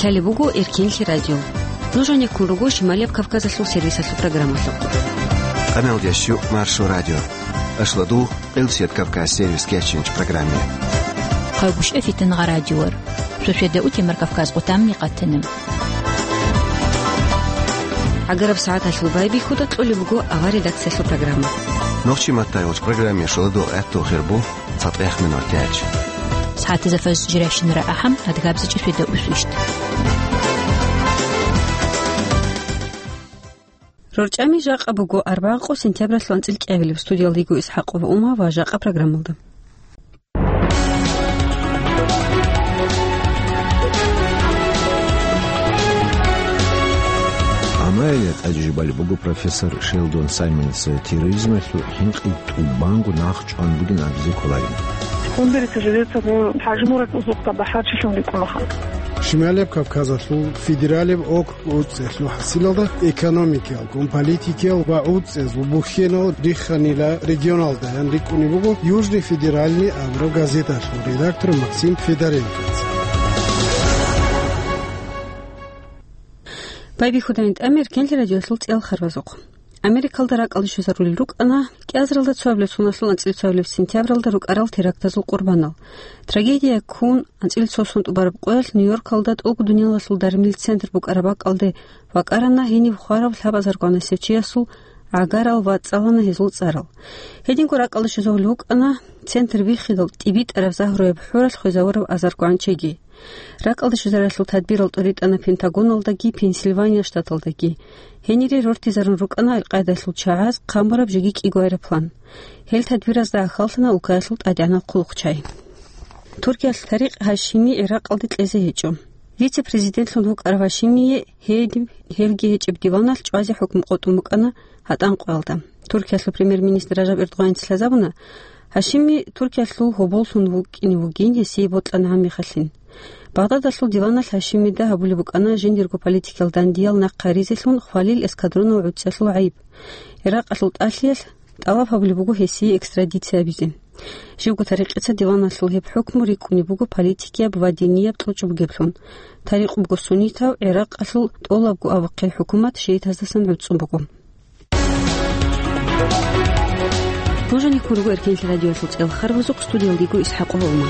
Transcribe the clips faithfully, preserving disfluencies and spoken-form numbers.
Гьале буго Эркенлъи радио. Нуж гьанеккун руго Шималияб Кавказалъул сервисалъул программалъухъ. Къамел ящу Маршо радио. Ашладу Къилсият Кавказ сервис кеченч программе. Хъайгушев Фитнагъа радиор. Сосиеда утемар Кавказ къутамни къатанам. Агараб сагӀаталъул байбихьуда кьолеб буго авар редакциялъул программа. Нохчи маттай уч программе шуладу гӀатту хирбу. ЦатӀех минутач. СагӀатизе фаз жирайщинара ахӀам, адгабзичӀеб светда усвищт. РорчӀами жакъа буго арбагъ къо сентябралъул анцӀил кӀиабилеб. Студиялда йиго ИсхӀакъова Ума ва жакъа программалда. Амаиле тӀаде жубалеб буго профессор Шелдон Саймоница терроризмалъул хӀинкъи тӀубанго нахъ чӀван бугин абизе кколарин. Кундерите живется, ну, хӀажмурат узукъа бахӀарчилъун рикӀкӀунаха. Шималияб Кавказалъул федералияб округ ГӀуцӀцӀелъул хӀасилалда экономикаялгун, политикиял ва гӀуцӀцӀезул бухьенал рихханила регионалдаян рикӀкӀунеб буго Южный федеральный абураб газеталъул редактор Максим Федоренкоца. Байбихьудайин тӀамир Эркенлъи радиолъул цӀел харбазухъ. Америкалда ракӀалде щвезарулел рукӀана кӀиазаралда цоабилеб соналъул анцӀила цоабилеб сентябралда рукӀарал терактазул къурбанал. Трагедия ккун анцӀила цо сон тӀубараб къоялъ Нью-Йоркалда тӀолго дуниялалъул дармил центр букӀараб бакӀалде вакӀарана гьениб хварав лъабазаргванасев чиясул гӀагарал ва цӀалана гьезул цӀарал. Гьединго ракӀалде щвезарулел рукӀана центр биххидал тӀибитӀараб загьруяб хӀуралъ хвезавурав азаргван чиги. РакӀалде щвезариялъул тадбирал тӀуритӀана Пентагоналдаги Пенсильвания штаталдаги. Гьенире рортизарун рукӀана Аль-Къаидалъул чагӀаз хъамураб жеги кӀиго аэроплан. Гьел тадбиразда ахьаллъана улкаялъул тӀадегӀанал хъулухъчагӀи. Туркиялъ Тарикъ Гьашими ГӀиракъалде кьезе гьечӀо. Вице-президентлъун вукӀарав Гьашимие гьедин гьелги гьечӀеб диваналъ чӀвазе хӀукму къотӀун букӀана гьатӀан къоялда. Туркиялъул премьер-министр Ражаб Эрдогъаница лъазабуна, Гьашими Туркиялъул гьоболлъун вукӀине вугин, гьесие бокьана гьаниб мехалъин. Багъдадалъул диваналъ Гьашимида гьабулеб букӀана жиндирго политикиял дандиял нахъ гьаризелъун хвалил эскадронал гӀуцӀцӀалъул гӀайиб. Иракъалъул тӀалъиялъ тӀалаб гьабулеб буго гьесие экстрадиция гьабизе. Живго Тарикъица диваналъул гьеб хӀукму рикӀкӀунеб буго политикияб ва динияб кьучӀ бугеблъун. Тарикъ буго суннитав, Иракъалъул тӀолабго абухъе хӀукумат шиитаздасан гӀуцӀцӀун буго. Нуж гьанеккун руго Эркенлъи радиоялъул цӀел харбазухъ, студиялда йиго ИсхӀакъова Ума.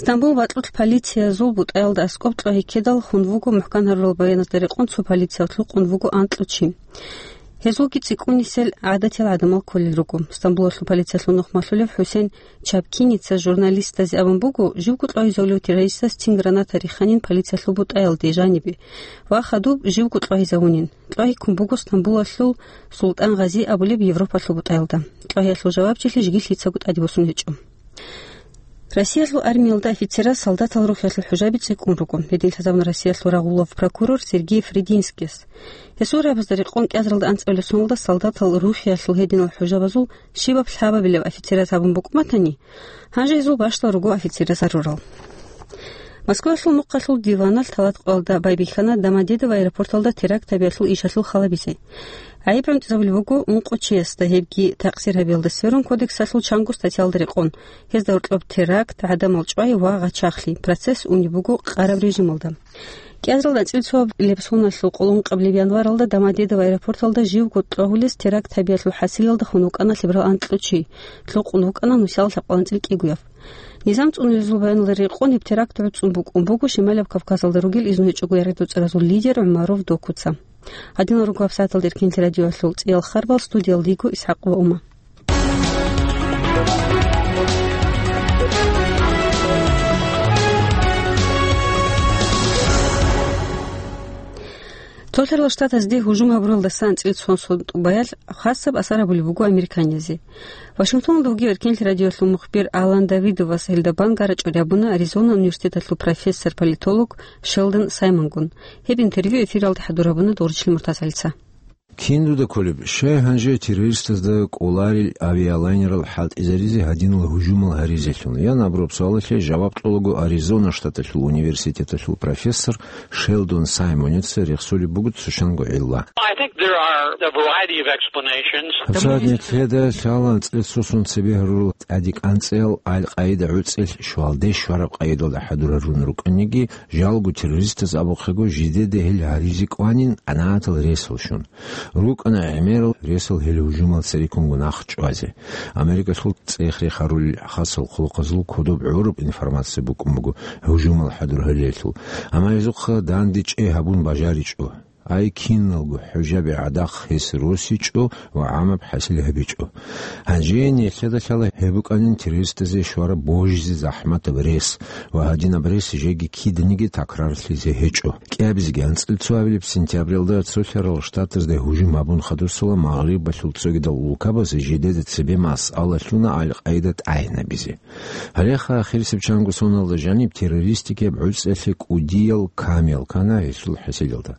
Стамбул бакьулъ полициязул бутӀаялда аскӀоб кьвагьи ккедал хун вуго мухӀкан гьарурал баяназда рекъон цо полициялъ лъукъун вуго анкьго чи. Гьезулги цӀикӀкӀунисел гӀадатиял гӀадамал кколел руго. Стамбулалъул полициялъул нухмалъулев ХӀусен Чапкиница журналистазе абун буго, живго кьвагьизавулев террористас цин граната риханин полициялъул бутӀаялде жанибе ва хадуб живго кьвагьизавунин. Кьвагьиккун буго Стамбулалъул Султан Гъази абулеб Европалъул бутӀаялда. Кьвагьиялъул жавабчилъи жеги лъицаго тӀаде босун гьечӀо. Россиялъул армиялда офицераз солдатал рухӀиялъул хӀужаби цӀикӀкӀун руго. Гьедин лъазабуна Россиялъул рагъулав прокурор Сергей Фридинскияс. Гьесул рагӀабазда рекъон кӀиазаралда анцӀабилеб соналда солдатал рухӀиялъул гьединал хӀужабазул щибаб лъабабилеб офицераз гьабун букӀун батани, гьанже гьезул бащдал руго офицераз гьарурал. Москваялъул мухъалъул диваналъ талат къоялда байбихьана Домодедово аэропорталда теракт гьабиялъул ишалъул халабизе. ГӀайиб гӀунтӀизабулеб буго ункъо чиясда, гьебги такъсир гьабиялда сверун кодексалъул чанго статьялда рекъон, гьезда гьоркьоб теракт, гӀадамал чӀвай ва гъачахлъи, процесс унеб буго къараб режималда. КӀиазаралда анцӀила цоабилеб соналъул къоло ункъабилеб январалда Домодедово аэропорталда живго кьвагьулез теракт гьабиялъул хӀасилалда хун вукӀана лъеберал анкьго чи, лъукъун вукӀана нусиялда лъабкъоялда анцӀила кӀигояб. Низам цӀунулезул баяналда рекъон гьеб теракт гӀуцӀун букӀун буго Шималияб Кавказалда ругел изну гьечӀого яргъи-дуцӀаразул лидер ГӀумаров Докуца. Гьадинал руго гьабсагӀаталда Эркенлъи радиоялъул цӀиял харбал, студиялда йиго ИсхӀакъова Ума. Цолъарал Штатазде гьужум гьабуралдаса анцӀила цо сон тӀубаялъ хасаб асар гьабулеб буго американиязде. Вашингтоналда вугев Эркенлъи радиоялъул мухбир Алан Давидовас гьелда бан гарачӀо рабуна Аризона университеталъул профессор-политолог Шелдон Саймонгун. Гьеб интервью эфиралде хӀадур гьабуна Дорчлъи Муртазалица. Кин дуда кколеб, щай гьанже террористазда кӀоларел авиалайнерал хӀалтӀизаризе гьадинал гьужумал гьаризелъул? Ян абураб суалалъе жаваб кьолаго Аризона штаталъул университеталъул профессор Шелдон Саймоница рехсолеб буго цо щанго гӀилла. I think there are a variety of explanations. Гьабсагьат нилъеда лъала анцӀила цо сон цебе гьарурал тӀаде кӀанцӀел Ал-Къаида гӀуцӀел щвалде щвараб къайдалда хӀадур гьарун рукӀаниги, жалго террористаз абухъего жидеда гьел гьаризе кӀванин анагьатал ресал щун. РукӀана гӀемерал ресал гьел гьужумал цереккунго нахъ чӀвазе. Америкалъул цӀех-рех гьарулел хасал хъулухъазул кодоб гӀураб информация букӀун буго гьужумал хӀадур гьарилелъул, амма гьезухъа данде чӀей гьабун бажаричӀо. Ай киналго хӀужаби гӀадахъ гьес росичӀо ва гӀамаб хӀасил гьабичӀо. Гьанже нилъеда лъала гьеб букӀанин террористазе щвараб божизе захӀматаб рес ва гьадинаб рес жеги киданиги такрарлъизе гьечӀо. КӀиабизеги анцӀила цо абилеб сентябралда Цолъарал Штатазда гьужум гьабун хадусала Магърибалъул цогидал улкабазе жидеда цебе масъала лъуна Ал-Къаида тӀагӀинабизе. Гьалеха ахирисеб чанго соналда жаниб террористикияб гӀуцӀалъе кӀудиял камел ккана гьелъул хӀасилалда.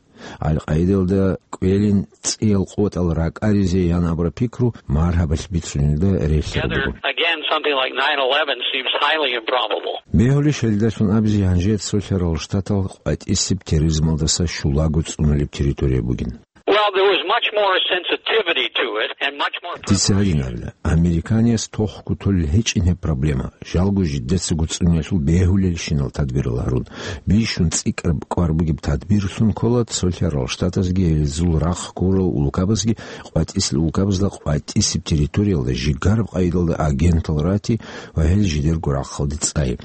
Ал-Къаидалда кӀвелин цӀиял къотӀал ракӀаризе ян абураб пикру маргьабалъ бицунелда релълъараб буго. Again, something like nine eleven seems highly improbable. Бегьулищ гьелдалъун абизе гьанже Цолъарал Штатал къватӀисеб терроризмалдаса щулаго цӀунулеб территория бугин? Well, there was much more sensitivity to it and much more Дица гьадин абила, американиас тохго толел гьечӀин гьеб проблема, жалго жидецаго цӀунелъул бегьулелщинал тадбирал гьарун, бищун цӀикӀкӀараб кӀвар бугеб тадбирлъун ккола Цолъарал Штатазги гьезул рахъ ккурал улкабазги къватӀисел улкабазда къватӀисеб территориялда жигараб къайдалда агентал рати ва гьел жидерго рахъалде цӀай.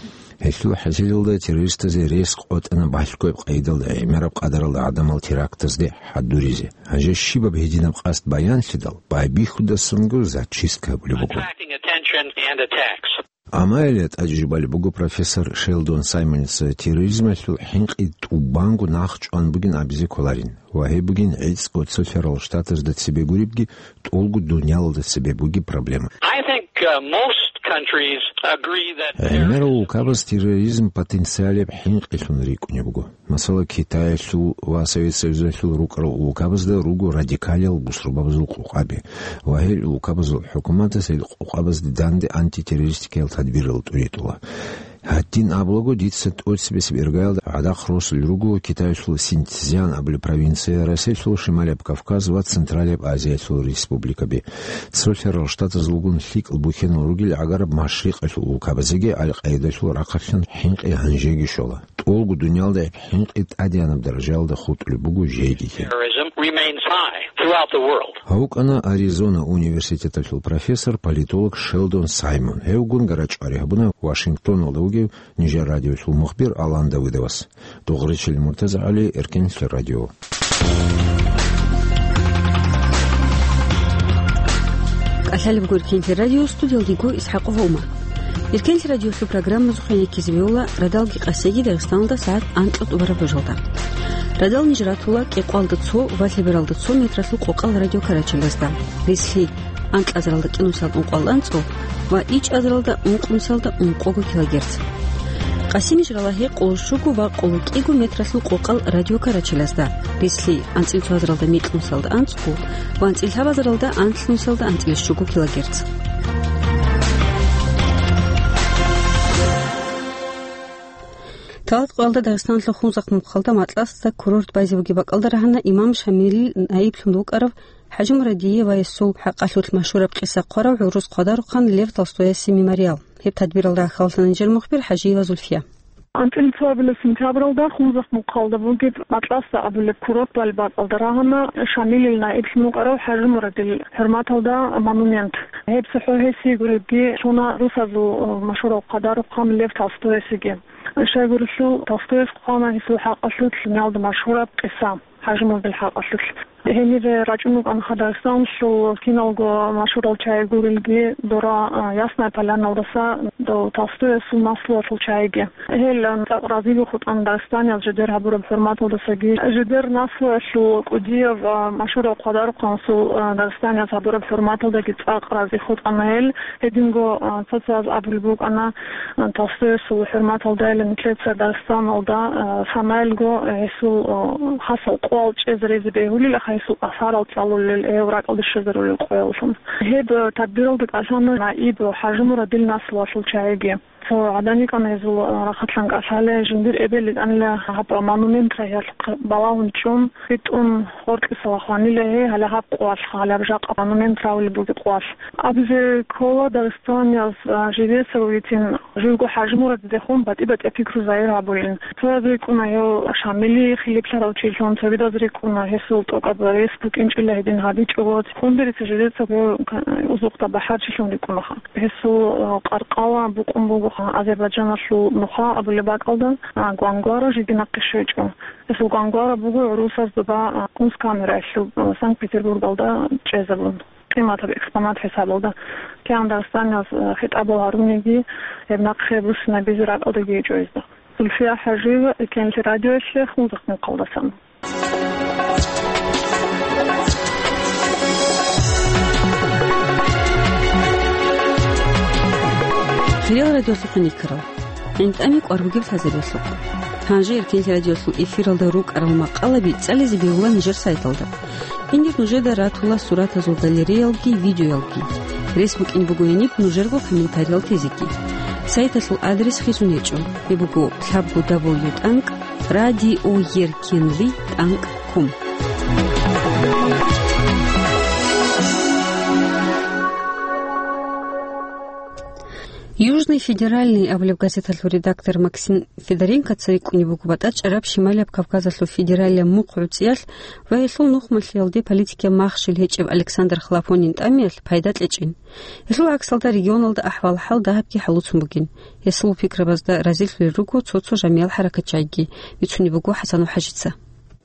Гьелъул хӀасилалда террористазе рес къотӀана балъгояб къайдалда гӀемераб къадаралда гӀадамал терактазде хӀадуризе. Гьанже щибаб гьединаб къасд баянлъидал, байбихьудасанго зачистка гьабулеб буго. Attracting attention and attacks. Амма гьеле тӀаде жубалеб буго профессор Шелдон Саймоница терроризмалъул хӀинкъи тӀубанго нахъ чӀван бугин абизе кколарин ва гьеб бугин гӀицӀго Цолъарал Штатазда цебе гуребги, тӀолго дуниялалда цебе бугеб проблема. I think, uh, most countries agree that гӀемерал улкабаз терроризм потенциалияб хӀинкъилъун рикӀкӀунеб буго. Масала, Китаялъул ва Совет Союзалъул рукӀарал улкабазда руго радикалиял бусурбабазул къокъаби, ва гьел улкабазул хӀукуматаз гьел къокъабазде данде антитеррористикиял тадбирал тӀуритӀула. Гьадин абулаго, дица тӀоцебесеб иргаялда гӀадахъ росулел руго Китаялъул Синьцзян абулеб провинция, Россиялъул Шималияб Кавказ ва Централияб Азиялъул республикаби. Цолъарал Штатазулгун лъикӀал бухьенал ругел гӀагараб машрикъалъул улкабазеги Ал-Къаидалъул рахъалъан хӀинкъи гьанжеги щола. ТӀолго дуниялда гьеб хӀинкъи тӀадегӀанаб даражаялда хутӀулеб буго жегиги. Terrorism remains high throughout the world. Гьав вукӀана Аризона университеталъул профессор, политолог Шелдон Саймон. Гьевгун гарачӀвари гьабуна Вашингтоналда вугев нижер радиолъул мухбир Алан Давидовас. Дугъричил МуртазагӀали, Эркенлъи радио. КӀалъалеб гуркинлъи радио, студиялдего Исхакова Умар. Эркенлъи радиолъул программазухъе ккезе бегьула радалги къасиги Дагъистаналда сагӀат анкьа тӀубараб ружалда. Радал ниж ратула кӀикъоялда цо ва лъебералда цо метралъул къокъал радиокарачалазда. Рислъи, анкьазаралда кӀинусалда ункъоялда анцӀго ва ичӀазаралда ункънусалда ункъого килогерц. Къасиниж рала гьекъоло щуго ва къоло кӀиго метралъул къокъал радиокарачалазда, рислъи, анцӀила цоазаралда микьнусалда анцӀго ва анцӀила лъабазаралда анлънусалда анцӀила щуго килогерц. Талат къоялда Дагъистаналъул Хунзахъ мухъалда Матласда курорт байзе бугеб бакӀалда рагьана имам Шамилил наиблъун вукӀарав ХӀажимурадиевасул хӀакъалъулъ машгьураб къиса хъварав гӀурус хъвадарухъан Лев Толстоясе мемориал. Гьеб тадбиралда рахьаллъана нижер мухбир ХӀажиева Зульфия. АнцӀила цоабилеб сентябралда Хунзахъ мухъалда бугеб Матласда абулеб курорт балеб бакӀалда рагьана Шамилил наиблъун вукӀарав ХӀажимурадил хӀурматалда монумент. Гьеб цохӀо гьесие гуребги лъуна русазул машгьурав хъвадарухъан Лев Толстоясеги. Щайгурелъул, Толстояс хъвана гьесул хӀакъалъулъ дуниялда машгьураб къиса, ХӀажимурадил хӀакъалъулъ. Гьенире рачӀун рукӀана Дагъистаналъул киналго машгьурал чагӀи гурелги, дора, а, Ясная Поляналдаса дов Толстоясул наслуялъул чагӀиги. Гьел, а, цӀакъ разиги хутӀана дагъистанияз жидер гьабураб хӀурматалдасаги. Жидер наслуялъул кӀудияв, а, машгьурав хъвадарухъанасул, а, дагъистанияз гьабураб хӀурматалдаги цӀакъ рази хутӀана гьел. Гьединго, а, цо-цояз абулеб букӀана, а, Толстоясул хӀурматалдайилан нилъеца Дагъистаналда, а, санаялго, а, гьесул, а, хасал къоял чӀезе-резе бегьулел, ахӀа, гьесул асарал цӀалулел, гьев ракӀалде щвезарулел къоялъун. Гьеб тадбиралда кӀалъана наиб ХӀажимурад Дилнасовалъул чагӀиги. Цо гӀадан йикӀана гьезул рахъалъан кӀалъале, жиндир эбел йикӀанила гьаб монументра гьелъухъ балагьун чӀун, хитӀун, гъоркьиса вахъанила гьей, гьале гьаб къоялъ, гьале гьаб жакъа монумент равулеб бугеб къоялъ. Абизе ккола дагъистанияз, а, жидеца витин, живго ХӀажимурадидехун батӀи-батӀияб пикру загьир гьабулин. Цояз рикӀкӀуна гьев Шамили хилиплъарав чилъун, цогидаз рикӀкӀуна гьесул тӀокӀаб рес букӀинчӀила гьедин гьабичӀого. Хундарица жидеца гьев ка-, узухъда бахӀарчилъун рикӀкӀунаха. Гьесул, а, къаркъала букӀун бугоха Азербайджаналъул нуха абулеб бакӀалда, а, Гвангвара жиги нахъе щвечӀо. Гьесул Гвангвара буго гӀурусазда ба, а, Кунсткамераялъул, а, Санкт-Петербургалда чӀезабун, къиматаб экспонат хӀисабалда. КигӀан дагъистанияз, а, хитӀабал гьаруниги, гьеб нахъе буссинабизе ракӀалдаги гьечӀо гьезда. Зульфия ХӀажиева, Эркенлъи радиоялъе, Хунзахъ мухъалдасан. Хириял радиолъухъ никарал. ГӀинтӀами кӀвар бугеб лъазабиялъухъ. Гьанже Эркенлъи радиолъул эфиралда рукӀарал макъалаби цӀализе бегьула нижер сайталда. Гьенир нужеда ратула суратазул галереялги, видеоялги. Рес букӀин буго гьениб нужерго комментариял тезеги. Сайталъул адрес хисун гьечӀо. Гьеб буго лъабго дабл ю тӀанкӀ радиоеркенлъи тӀанкӀ ком. «Южный федеральный» абулеб газеталъул редактор Максим Федоренкоца рикӀкӀунеб буго батӀачӀараб Шималияб Кавказалъул федералияб мухъ гӀуцӀиялъ ва гьелъул нухмалъиялде политикияб махщел гьечӀеб Александр Хлопонин тӀамиялъ пайда кьечӀин. Гьелъул гӀаксалда регионалда ахӀвал-хӀал дагьабги хӀалуцун бугин. Гьесул пикрабазда разилъулел руго цо-цо жамиял хӀаракатчагӀиги, бицунеб буго ХӀасанов ХӀажица.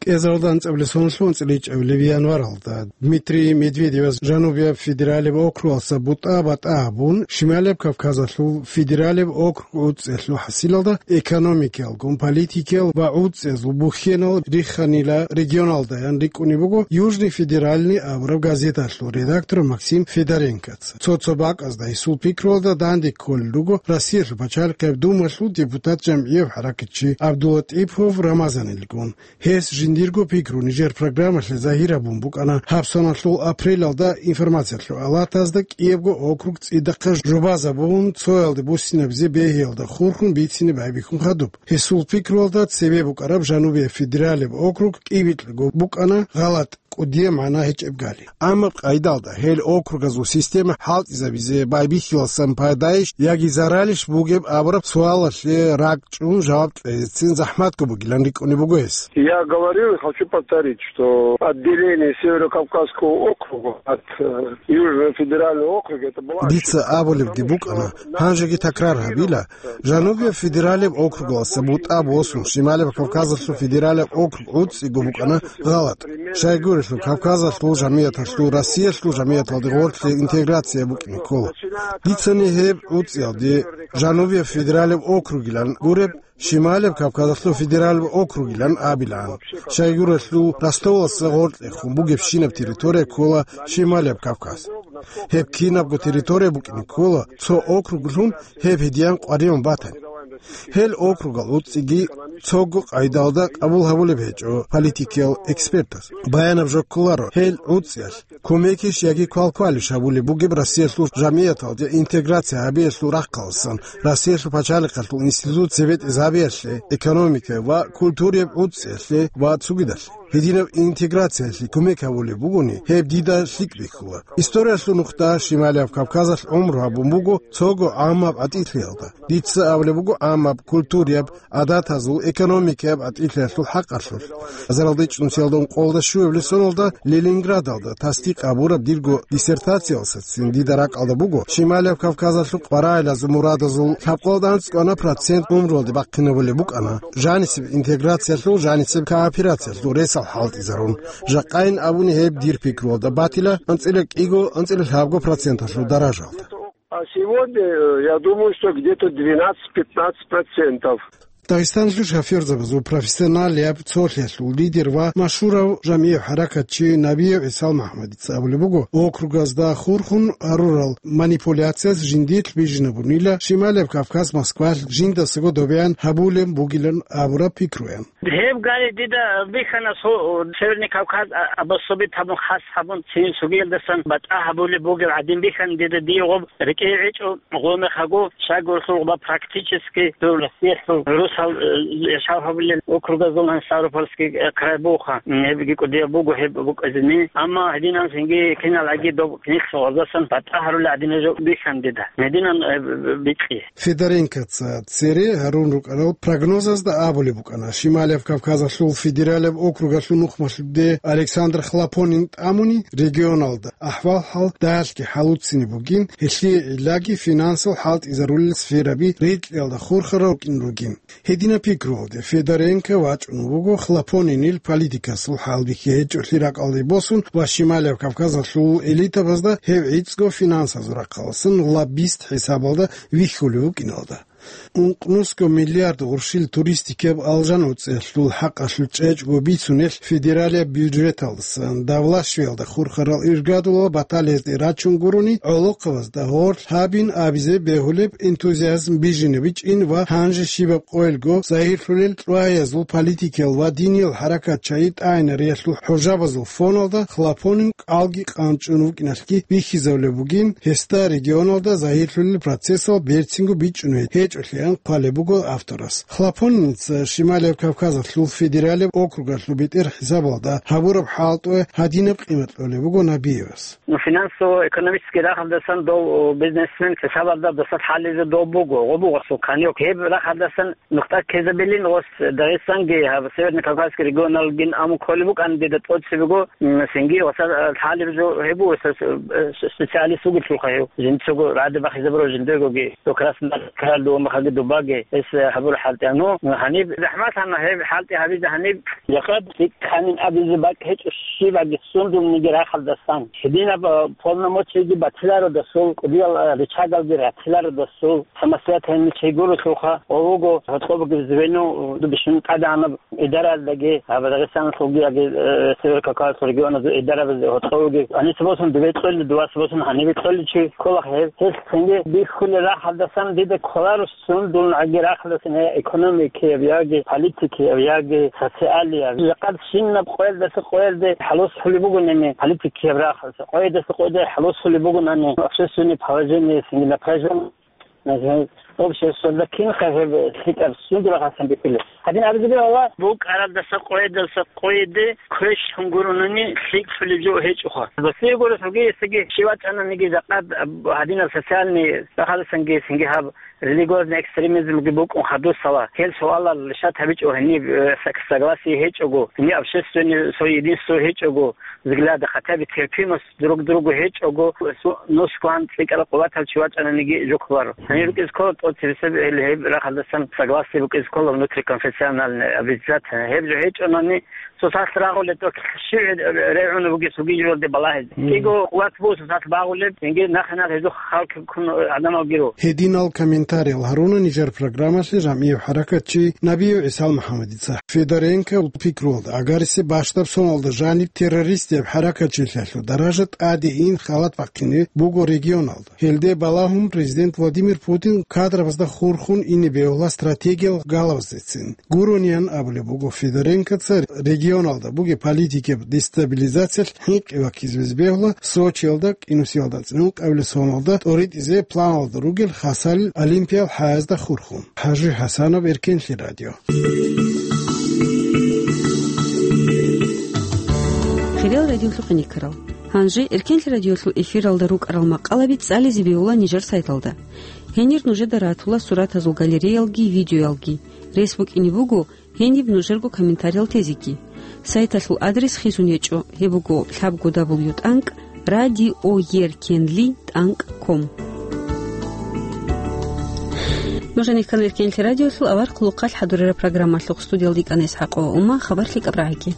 КӀезаралда анцӀабилеб соналъул анцӀиличӀабилеб январалда Дмитрий Медведевас Жанубияб федералияб округалъа бутӀа-батӀа гьабун, Шималияб Кавказалъул федералияб округ гӀуцӀиялъул хӀасилалда экономикаялгун, политикиял ва гӀуцӀиязул бухьенал рихханила регионалдаян рикӀкӀунеб буго «Южный федеральный» абураб газеталъул редактор Максим Федоренкоца. Цо-цо бакӀазда гьесул пикруялда данде кколел руго Россиялъул пачалихъияб Думалъул депутат, жамгӀияб хӀаракатчи ГӀабдуллатӀипов Рамазанилгун. Гьес жиндирго пикру нижер программалъе загьир гьабун букӀана гьаб соналъул апрелалда информациялъул алатазда кӀиябго округ цӀидахъе жубазабун, цоялде буссинабизе бегьиялда хурхун бицине байбихьун хадуб. Гьесул пикруялда цебе букӀараб Жанубияб федералияб округ кӀибикьго букӀана гъалатӀ, кӀудияб магӀна гьечӀеб гали. Амма къайдалда гьел округазул система хӀалтӀизабизе байбихьиласан пайдайищ яги заралищ бугеб абураб суалалъе ракӀчӀун жаваб кьецин захӀматго бугилан рикӀкӀунеб буго гьес. Я говорил и хочу повторить, что отделение Северо-Кавказского округа от, э, Южного федерального округа, это была Дица ошибка, абулебги потому букӀана, что гьанжеги такрар гьабила, Жанубияб федералияб округалъа бутӀа босун, Шималияб Кавказалъул федералияб округ гӀуцӀиго букӀана гъалатӀ. Щайгурелъул Кавказалъул жамияталъул Россиялъул жамияталде гъорлъе интеграция букӀине ккола. Дицани гьеб гӀуцӀиялде Жанубияб федералияб округилан гуреб, Шималияб Кавказалъул федералияб округилан абилаан. Щайгурелъул Ростовалъа гъоркьехун бугебщинаб территория ккола Шималияб Кавказ. Гьеб кинабго территория букӀине ккола, цо округлъун гьеб гьедиян къваригӀун батани. Гьел округал гӀуцӀиги цого къайдалда къабул гьабулеб гьечӀо политикиял экспертаз. Баянаб жо кколаро, гьел гӀуцӀиялъ кумекищ яги квалквалищ гьабулеб бугеб Россиялъул жамияталде интеграция гьабиялъул рахъаласан, Россиялъул пачалихъалъул институт цебетӀезабиялъе, экономикае ва культураяб гӀуцӀиялъе ва цогидалъе. Гьединаб интеграциялъе кумек гьабулеб бугони, гьеб дида лъикӀ бихьула. Историялъул нухда Шималияб Кавказалъ гӀумру гьабун буго цого гӀаммаб гӀатӀилъиялда. Дица абулеб буго гӀаммаб культураяб гӀадатазул, экономикаяб гӀатӀилъиялъул хӀакъалъулъ. Азаралда ичӀнусиялда ункъоялда щуабилеб соналда Ленинградалда тасдикъ гьабураб дирго диссертациялдасацин дида ракӀалда буго Шималияб Кавказалъул къваригӀелазул мурадазул лъабкъоялда анцӀ кӀванаб процент гӀумруялде бахъинабулеб букӀана жанисеб интеграциялъул, жанисеб кооперациялъул ресал хӀалтӀизарун. Жакъайин абуни гьеб дир пикруялда батила анцӀила кӀиго, анцӀила лъабго проценталъул даражалда. А сегодня, э, я думаю, что где-то двенадцать-пятнадцать процентов. Дагъистаналъул шофёрзабазул профессионалияб цолъиялъул лидер ва машгьурав жамгӀияв хӀаракатчи Набиев ГӀисал МухӀаммадица абулеб буго, округазда хурхун гьарурал манипуляцияс жиндилъ бижинабунила Шималияб Кавказ Москвалъ жиндасаго добеян гьабулеб бугилан абураб пикруян. Гьеб гали дида бихьана со-, Северный Кавказ а-, обособить гьабун, хас гьабун, цин сугиялдасан батӀа гьабулеб бугеб гӀадин бихьана дида дие гъоб рекӀее гӀечӀо гъомехъаго, щайгурелъул гъоба практически дур Россиялъул русал, э, яшав гьабулел округазул гьанже Ставропольский, э, край буха. Гьебги кӀудияб буго гьеб букӀазини. Амма гьединан цинги кинал гӀаги доб нилъ гъоздасан батӀа гьарулел гӀадинаб жо бихьана дида. Гьединан, э, б-, б-, бикьи. Федоренкоца цере гьарун рукӀарал прогнозазда абулеб букӀана, Шималияб Кавказалъул федералияб округалъул нухмалъуде Александр Хлопонин тӀамуни регионалда ахӀвал-хӀал дагьалъги хӀалуцине бугин, гьелъие гӀиллаги финансал хӀалтӀизарулел сфераби рекьиялда хурхарал рукӀин ругин. Гьединаб пикруялде Федоренко вачӀун вуго Хлопонинил политикасул хӀалбихьи гьечӀолъи ракӀалде босун ва Шималияб Кавказалъул элитабазда гьев гӀицӀго финансазул рахъалъан лоббист хӀисабалда вихьулев вукӀиналда. Ункънусго миллиард гъурщил туристикаб Алжан уцӀиялъул хӀакъалъулъ чӀечӀго бицунелъ федералияб бюджеталдасан давлашвиялда хурхарал иргадулал баталиязде рачун гурони, гӀолохъабазда гьорлъ гьабин абизе бегьулеб энтузиазм бижине бичӀчӀин ва гьанже щибаб къоялго загьирлъулел чӀваязул, политикиял ва диниял хӀаракатчагӀи тӀагӀинариялъул хӀужабазул фоналда Хлопонин кӀалги къанчӀун вукӀиналъги бихьизабулеб бугин, гьесда регионалда загьирлъулел процессал берцинго бичӀчӀунеб гьечӀолъиан хъвалеб буго авторас. Хлопониница Шималияб Кавказалъул федералияб округалъул бетӀер хӀисабалда гьабураб хӀалтӀуе гьадинаб къимат кьолеб буго Набиевас. Ну, финансово-экономический рахъалдасан дов бизнесмен хӀисабалда досда лъалеб жо дов буго, гъо буго асул каньок. Гьеб рахъалдасан нухда ккезабилин гъос Дагъистанги, гьаб Северный Кавказский регионалгин аму кколеб букӀан дида тӀоцебего, м, цинги гъоса, э, лъалеб жо гьеб буго, гъоса, э, с-, специалист вугелъулха гьев. Жинцаго рагӀаде бахизабурав жиндегоги, то Краснодар, Краль, Дубамахаги, Дубаги, гьес, э, гьабура хӀалтӀи. Ну, гьаниб захӀмат гьана гьеб хӀалтӀи гьабизе гьаниб. Жакъа лъикӀ гьанин абизе бакӀ гьечӀо щибаги сундулниги рахъалдасан. Гьединаб, э, полномочиги батилародасул, кӀудиял, э, рычагалги ратилародасул, самостоятельный чи гурелъулха, гъо вуго гьоркьобги звено, э, бищун тӀадегӀанаб идараялдаги, гьаб Дагъистаналъулги яги, э, Северо-Кавказалъул регионазул идарабазде гьоркьобги. Гьаниса босун дубе кьолли, дуваса босун гьанибе кколли чи ккола гьеб. Гьес цинги бихьулел рахъалдасан дида кколаро сундулниги рахъалдасан, я экономикияб, яги политикияб, яги социалияб. Жакъа щинаб къоялдаса къоялде хӀалос хӀулеб бугонани политикияб рахъалдаса, къоядаса къоялде хӀалос хӀулеб бугонани общественное положение, цинги напряжение. Обществоялда кинха гьеб лъикӀаб сундул рахъалдасан бихьулеб? Гьадин абизе бегьула, букӀаралдаса къоядаса къояде квешлъун гуронани лъикӀлъулеб жо гьечӀоха. Досие гурелъулги гьесдаги щив вачӀананиги жакъа гьадинаб социальный рахъалдасанги, цинги гьаб религиозный экстремизмги букӀун хадусала. Гьел суалал решать гьабичӀо гьениб, э, саг-, согласие гьечӀого, гьениб общественный цо единство гьечӀого, взгляды, хотя бы терпимость друг к другу гьечӀого, су-, нусгван цӀикӀкӀарал къуватал чи вачӀананиги жо кколаро. Гьанир рукӀизе ккола тӀоцебесеб гьел гьеб рахъалдасан согласие букӀизе ккола внутриконфессиональный обязательно. Гьеб жо гьечӀонани, цо сахлъи рагъулеб тӀокӀ щив регӀуна бугес вугижилалде балагьизе. Мгм. КӀиго къуват буго цо сахлъи багъулеб, цинги нахъе-нахъе гьезухъ халкъ ккун гӀадамалги руго. Гьединал комментариял гьаруна нижер программалъе жамгӀияв хӀаракатчи Набиев ГӀисал МухӀаммадица. Федоренко пикруялда агарисеб бащдаб соналда жаниб террористияб хӀаракатчилъиялъул даража тӀаде ин халат бахъине буго регионалда. Гьелде балагьун президент Владимир Путин кадрабазда хурхун ине бегьула стратегиял галабаздецин. Гурониян абулеб буго Федоренкоца регионалда бугеб политикияб дестабилизациялъ хӀинкъи ваккизе бегьула Сочиялда кӀинусиялда цӀинул къабилеб соналда тӀоритӀизе планалда ругел Хасалил Олимпиял хӀаязда хурхун. ХӀажи ХӀасанов, Эркенлъи радио. Хириял радиолъухъ иникарал. Гьанже Эркенлъи радиолъул эфиралда рукӀарал макъалаби цӀализе бегьула нижер сайталда. Гьенир нужеда ратула суратазул галереялги видеоялги. Рес букӀине буго гьениб нужерго комментариял тезеги. Сайталъул адрес хисун гьечӀо, гьеб буго лъабго дабл ю тӀанкӀ радиоеркенли тӀанкӀ ком. Нуж гьанир ккана Эркенлъи радиолъул авар хъулухъалъ хӀадурараб программалъухъ. Студиялда йикӀана ИсхӀакъова Ума, хабар лъикӀаб рагӀаги.